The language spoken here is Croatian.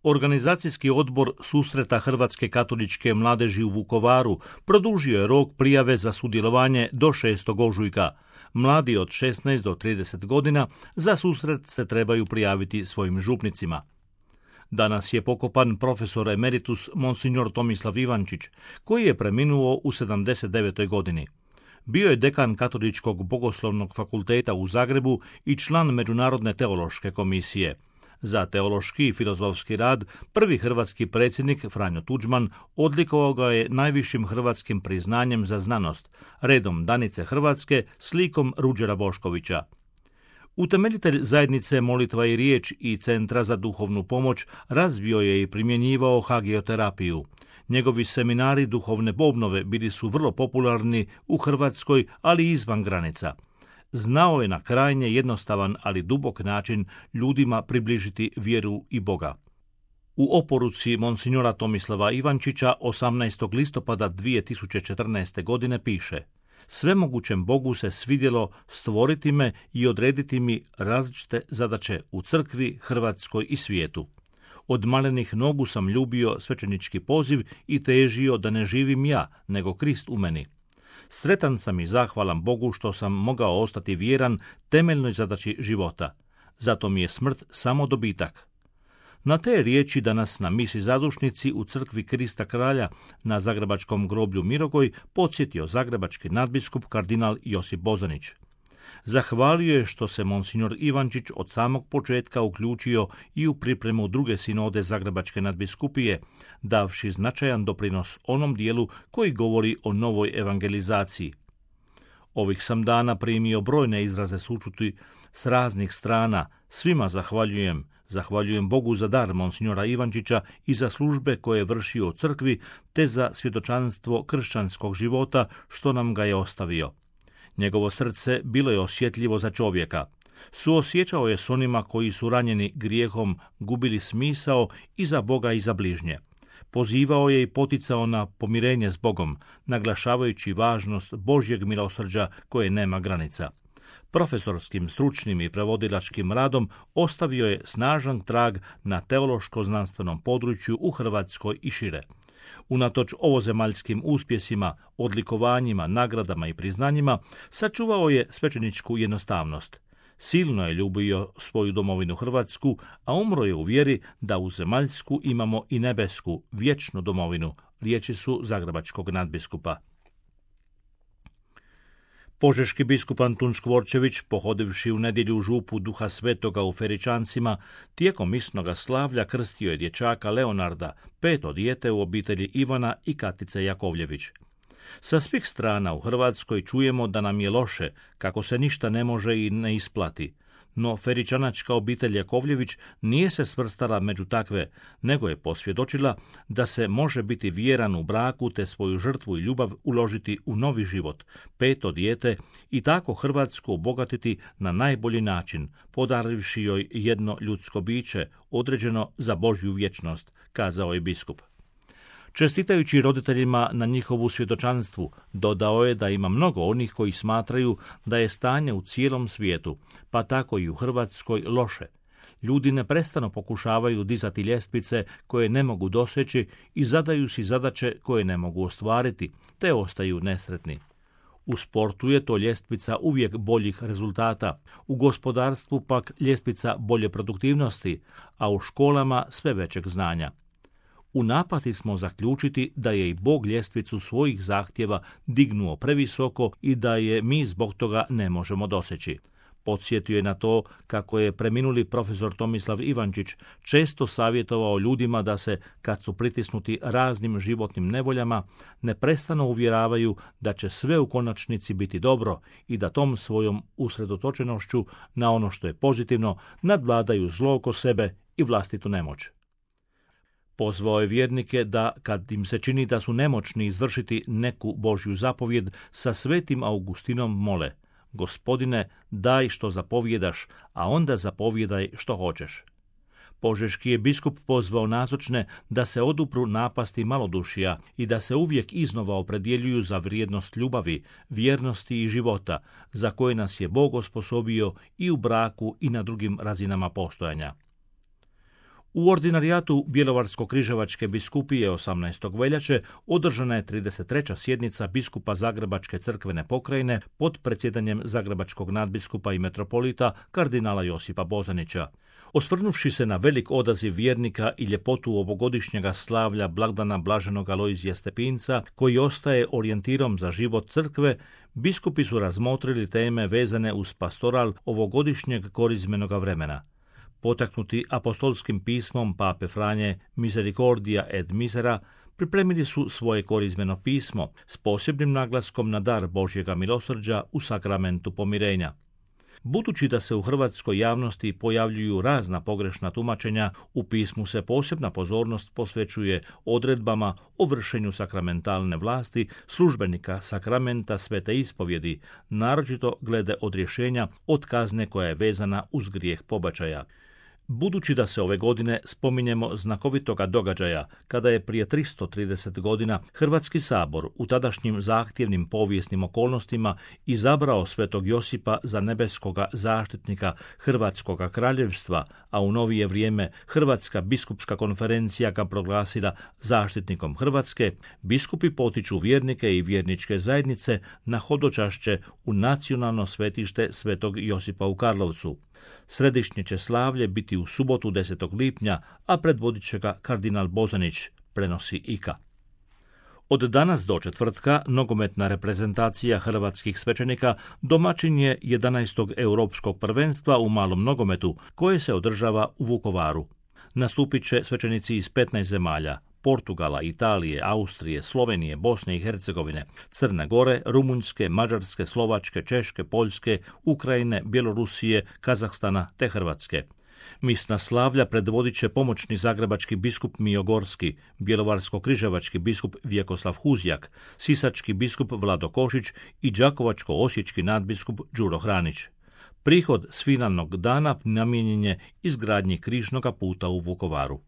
Organizacijski odbor susreta Hrvatske katoličke mladeži u Vukovaru produžio je rok prijave za sudjelovanje do 6. ožujka. Mladi od 16 do 30 godina za susret se trebaju prijaviti svojim župnicima. Danas je pokopan profesor emeritus monsignor Tomislav Ivančić, koji je preminuo u 79. godini. Bio je dekan Katoličkog bogoslovnog fakulteta u Zagrebu i član Međunarodne teološke komisije. Za teološki i filozofski rad prvi hrvatski predsjednik Franjo Tuđman odlikovao ga je najvišim hrvatskim priznanjem za znanost, redom Danice Hrvatske s likom Ruđera Boškovića. Utemeljitelj zajednice Molitva i riječ i Centra za duhovnu pomoć razvio je i primjenjivao hagioterapiju. Njegovi seminari duhovne obnove bili su vrlo popularni u Hrvatskoj, ali i izvan granica. Znao je na krajnje jednostavan, ali dubok način ljudima približiti vjeru i Boga. U oporuci monsignora Tomislava Ivančića 18. listopada 2014. godine piše: Svemogućem Bogu se svidjelo stvoriti me i odrediti mi različite zadaće u crkvi, Hrvatskoj i svijetu. Od malenih nogu sam ljubio svećenički poziv i težio da ne živim ja, nego Krist u meni. Sretan sam i zahvalan Bogu što sam mogao ostati vjeran temeljnoj zadaći života. Zato mi je smrt samo dobitak. Na te riječi danas na misi zadušnici u crkvi Krista Kralja na zagrebačkom groblju Mirogoj podsjetio zagrebački nadbiskup kardinal Josip Bozanić. Zahvalio je što se monsignor Ivančić od samog početka uključio i u pripremu druge sinode Zagrebačke nadbiskupije, davši značajan doprinos onom dijelu koji govori o novoj evangelizaciji. Ovih sam dana primio brojne izraze sućuti s raznih strana. Svima zahvaljujem Bogu za dar monsignora Ivančića i za službe koje je vršio u crkvi, te za svjedočanstvo kršćanskog života što nam ga je ostavio. Njegovo srce bilo je osjetljivo za čovjeka. Suosjećao je s onima koji su ranjeni grijehom, gubili smisao i za Boga i za bližnje. Pozivao je i poticao na pomirenje s Bogom, naglašavajući važnost Božjeg milosrđa koje nema granica. Profesorskim, stručnim i prevodilačkim radom ostavio je snažan trag na teološko-znanstvenom području u Hrvatskoj i šire. Unatoč ovozemaljskim uspjesima, odlikovanjima, nagradama i priznanjima, sačuvao je svećeničku jednostavnost. Silno je ljubio svoju domovinu Hrvatsku, a umro je u vjeri da u zemaljsku imamo i nebesku, vječnu domovinu, riječi su zagrebačkog nadbiskupa. Požeški biskup Antun Škvorčević, pohodivši u nedjelju župu Duha Svetoga u Feričancima, tijekom misnoga slavlja krstio je dječaka Leonarda, 5. dijete u obitelji Ivana i Katice Jakovljević. Sa svih strana u Hrvatskoj čujemo da nam je loše, kako se ništa ne može i ne isplati. No feričanačka obitelj Jakovljević nije se svrstala među takve, nego je posvjedočila da se može biti vjeran u braku te svoju žrtvu i ljubav uložiti u novi život, 5. dijete, i tako Hrvatsku obogatiti na najbolji način, podarivši joj jedno ljudsko biće, određeno za Božju vječnost, kazao je biskup. Čestitajući roditeljima na njihovu svjedočanstvu, dodao je da ima mnogo onih koji smatraju da je stanje u cijelom svijetu, pa tako i u Hrvatskoj, loše. Ljudi neprestano pokušavaju dizati ljestvice koje ne mogu doseći i zadaju si zadaće koje ne mogu ostvariti, te ostaju nesretni. U sportu je to ljestvica uvijek boljih rezultata, u gospodarstvu pak ljestvica bolje produktivnosti, a u školama sve većeg znanja. U napasti smo zaključiti da je i Bog ljestvicu svojih zahtjeva dignuo previsoko i da je mi zbog toga ne možemo doseći. Podsjetio je na to kako je preminuli profesor Tomislav Ivančić često savjetovao ljudima da se, kad su pritisnuti raznim životnim nevoljama, neprestano uvjeravaju da će sve u konačnici biti dobro i da tom svojom usredotočenošću na ono što je pozitivno nadvladaju zlo oko sebe i vlastitu nemoć. Pozvao je vjernike da, kad im se čini da su nemoćni izvršiti neku Božju zapovjed, sa svetim Augustinom mole: Gospodine, daj što zapovjedaš, a onda zapovjedaj što hoćeš. Požeški je biskup pozvao nazočne da se odupru napasti malodušja i da se uvijek iznova opredjeljuju za vrijednost ljubavi, vjernosti i života, za koje nas je Bog osposobio i u braku i na drugim razinama postojanja. U ordinarijatu Bjelovarsko-križevačke biskupije 18. veljače održana je 33. sjednica biskupa Zagrebačke crkvene pokrajine pod predsjedanjem zagrebačkog nadbiskupa i metropolita kardinala Josipa Bozanića. Osvrnuvši se na velik odaziv vjernika i ljepotu ovogodišnjega slavlja blagdana blaženog Alojzija Stepinca, koji ostaje orijentirom za život crkve, biskupi su razmotrili teme vezane uz pastoral ovogodišnjeg korizmenoga vremena. Potaknuti apostolskim pismom Pape Franje Misericordia et Misera, pripremili su svoje korizmeno pismo s posebnim naglaskom na dar Božjega milosrđa u sakramentu pomirenja. Budući da se u hrvatskoj javnosti pojavljuju razna pogrešna tumačenja, u pismu se posebna pozornost posvećuje odredbama o vršenju sakramentalne vlasti službenika sakramenta svete ispovjedi, naročito glede odrješenja od kazne koja je vezana uz grijeh pobačaja. Budući da se ove godine spominjemo znakovitoga događaja, kada je prije 330 godina Hrvatski sabor u tadašnjim zahtjevnim povijesnim okolnostima izabrao svetog Josipa za nebeskoga zaštitnika Hrvatskoga kraljevstva, a u novije vrijeme Hrvatska biskupska konferencija ga proglasila zaštitnikom Hrvatske, biskupi potiču vjernike i vjerničke zajednice na hodočašće u nacionalno svetište svetog Josipa u Karlovcu. Središnje će slavlje biti u subotu 10. lipnja, a predvodit će ga kardinal Bozanić, prenosi IKA. Od danas do četvrtka nogometna reprezentacija hrvatskih svećenika domaćin je 11. europskog prvenstva u malom nogometu, koje se održava u Vukovaru. Nastupit će svećenici iz 15 zemalja: Portugala, Italije, Austrije, Slovenije, Bosne i Hercegovine, Crne Gore, Rumunjske, Mađarske, Slovačke, Češke, Poljske, Ukrajine, Bjelorusije, Kazahstana te Hrvatske. Misna slavlja predvodit će pomoćni zagrebački biskup Mijogorski, bjelovarsko-križevački biskup Vjekoslav Huzjak, sisački biskup Vlado Košić i đakovačko-osječki nadbiskup Đuro Hranić. Prihod s finalnog dana namijenjen je izgradnji križnoga puta u Vukovaru.